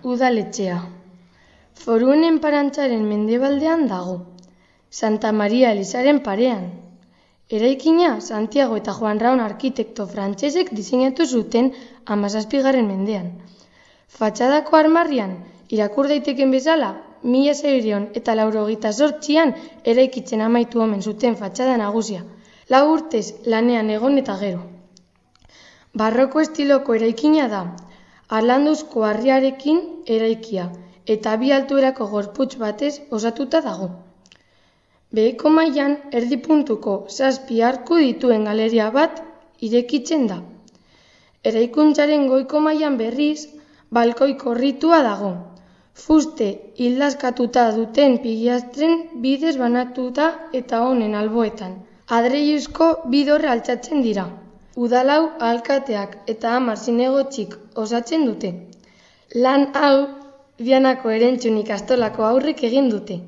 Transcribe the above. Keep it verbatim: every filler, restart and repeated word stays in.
udaletxea. Foruen enparantzaren mendebaldean dago, Santa Maria Elizaren parean. Eraikina Santiago eta Juan Raon arkitekto frantsesek diseinatu zuten hamazazpigarren mendean. Fatxadako armarrian, irakur daiteken bezala, mila seiehun eta laurogeita zortzian eraikitzen amaitu omen zuten fatxada nagusia, lau urtez lanean egon eta gero. Barroko estiloko eraikina da, harlanduzko harriarekin eraikia eta bi altuerako gorputz batez osatuta dago. Beheko mailan erdi puntuko zazpi arku dituen galeria bat irekitzen da. Eraikuntzaren goiko mailan berriz, balkoi korritua dago. Fuste hildaskatuta duten pilastren bidez banatuta eta honen alboetan. Adreiluzko bi dorre altxatzen dira. Udalau alkateak eta hamar zinegotzik osatzen dute. Lan hau Vianako Erentzun ikastolako haurrek egin dute.